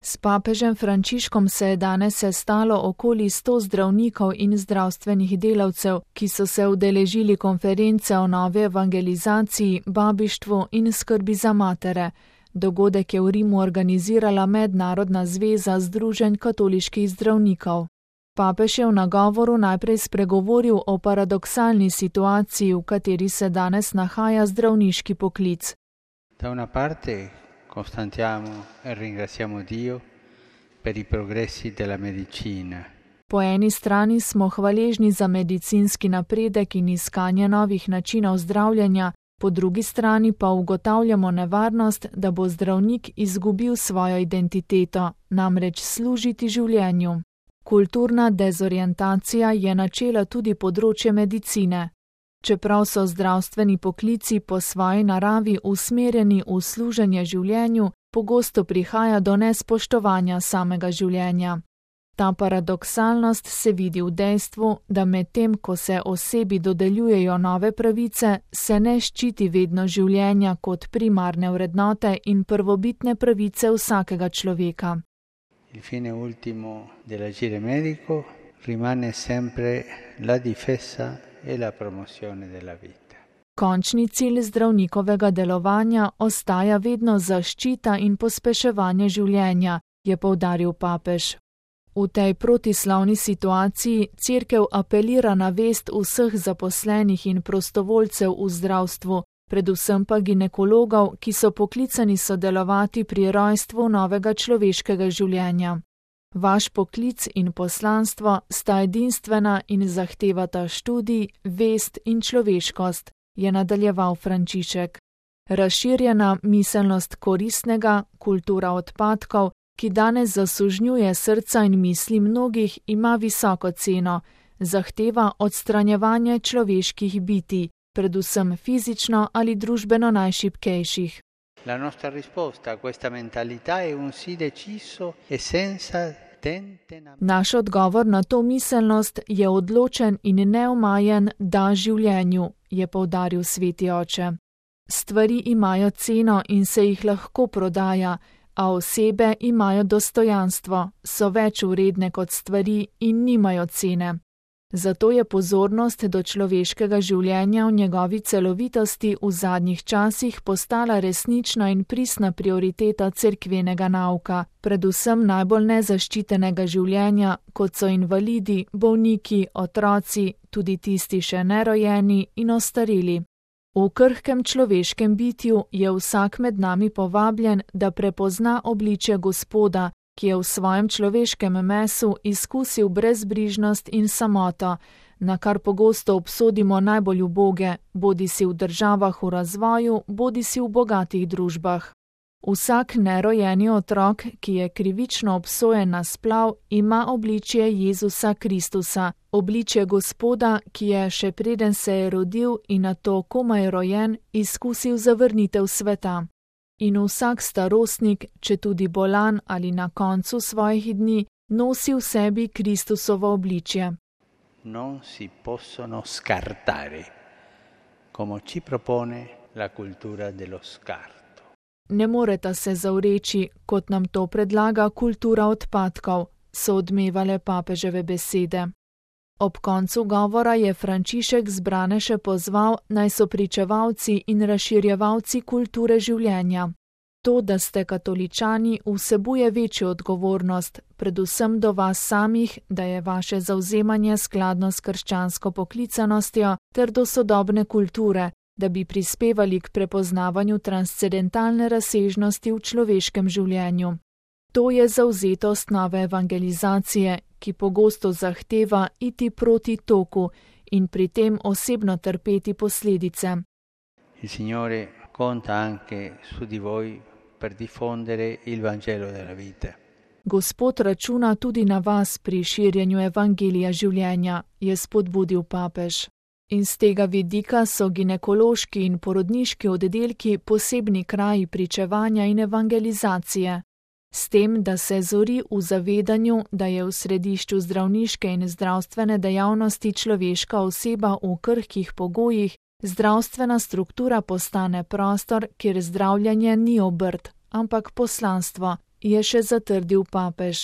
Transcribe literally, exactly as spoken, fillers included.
S papežem Frančiškom se je danes sestalo okoli sto zdravnikov in zdravstvenih delavcev, ki so se udeležili konference o novi evangelizaciji, babištvu in skrbi za matere. Dogodek je v Rimu organizirala Mednarodna zveza združenj katoliških zdravnikov. Papež je v nagovoru najprej spregovoril o paradoksalni situaciji, v kateri se danes nahaja zdravniški poklic. Da una parte constatiamo e ringraziamo Dio per i progressi della medicina. Po eni strani smo hvaležni za medicinski napredek in iskanje novih načinov zdravljenja, po drugi strani pa ugotavljamo nevarnost, da bo zdravnik izgubil svojo identiteto, namreč služiti življenju. Kulturna dezorientacija je načela tudi področje medicine. Čeprav so zdravstveni poklici po svoji naravi usmerjeni v služenje življenju, pogosto prihaja do nespoštovanja samega življenja. Ta paradoksalnost se vidi v dejstvu, da medtem, ko se osebi dodeljujejo nove pravice, se ne ščiti vedno življenja kot primarne vrednote in prvobitne pravice vsakega človeka. Il fine ultimo dell'agire medico rimane sempre la difesa e la promozione della vita. Končni cilj zdravnikovega delovanja ostaja vedno zaščita in pospeševanje življenja, je poudaril papež. V tej protislavni situaciji cerkev apelira na vest vseh zaposlenih in prostovoljcev v zdravstvu, predvsem pa ginekologov, ki so poklicani sodelovati pri rojstvu novega človeškega življenja. Vaš poklic in poslanstvo sta edinstvena in zahtevata študij, vest in človeškost, je nadaljeval Frančišek. Razširjena miselnost koristnega, kultura odpadkov, ki danes zasužnjuje srca in misli mnogih, ima visoko ceno, zahteva odstranjevanje človeških bitij, predvsem fizično ali družbeno najšibkejših. La nostra risposta a questa mentalità è un sì deciso e senza tente na... Naš odgovor na to miselnost je odločen in neomajen da življenju, je poudaril sveti oče. Stvari imajo ceno in se jih lahko prodaja, a osebe imajo dostojanstvo, so več vredne kot stvari in nimajo cene. Zato je pozornost do človeškega življenja v njegovi celovitosti v zadnjih časih postala resnična in pristna prioriteta cerkvenega nauka, predvsem najbolj nezaščitenega življenja, kot so invalidi, bolniki, otroci, tudi tisti še nerojeni in ostareli. V krhkem človeškem bitju je vsak med nami povabljen, da prepozna obličje Gospoda, ki je v svojem človeškem mesu izkusil brezbrižnost in samoto, na kar pogosto obsodimo najbolj uboge, bodisi v državah v razvoju, bodisi v bogatih družbah. Vsak nerojeni otrok, ki je krivično obsojen na splav, ima obličje Jezusa Kristusa, obličje Gospoda, ki je še preden se je rodil in nato komaj rojen, izkusil zavrnitev sveta. In vsak starostnik, če tudi bolan ali na koncu svojih dni, nosi v sebi Kristusovo obličje. Non si possono scartare, come ci propone la cultura dello scarto. Ne moreta se zavreči, kot nam to predlaga kultura odpadkov, so odmevale papeževe besede. Ob koncu govora je Frančišek zbrane še pozval, naj so pričevalci in razširjevalci kulture življenja. To, da ste katoličani, vsebuje večjo odgovornost, predvsem do vas samih, da je vaše zavzemanje skladno s krščansko poklicanostjo ter do sodobne kulture, da bi prispevali k prepoznavanju transcendentalne razsežnosti v človeškem življenju. To je zavzetost nove evangelizacije, ki pogosto zahteva iti proti toku in pri tem osebno trpeti posledice. Il Signore conta anche su di voi per diffondere il Vangelo della vita. Gospod računa tudi na vas pri širjenju evangelija življenja, je spodbudil papež. In z tega vidika so ginekološki in porodniški oddelki posebni kraji pričevanja in evangelizacije. S tem, da se zori v zavedanju, da je v središču zdravniške in zdravstvene dejavnosti človeška oseba v krhkih pogojih, zdravstvena struktura postane prostor, kjer zdravljenje ni obrt, ampak poslanstvo, je še zatrdil papež.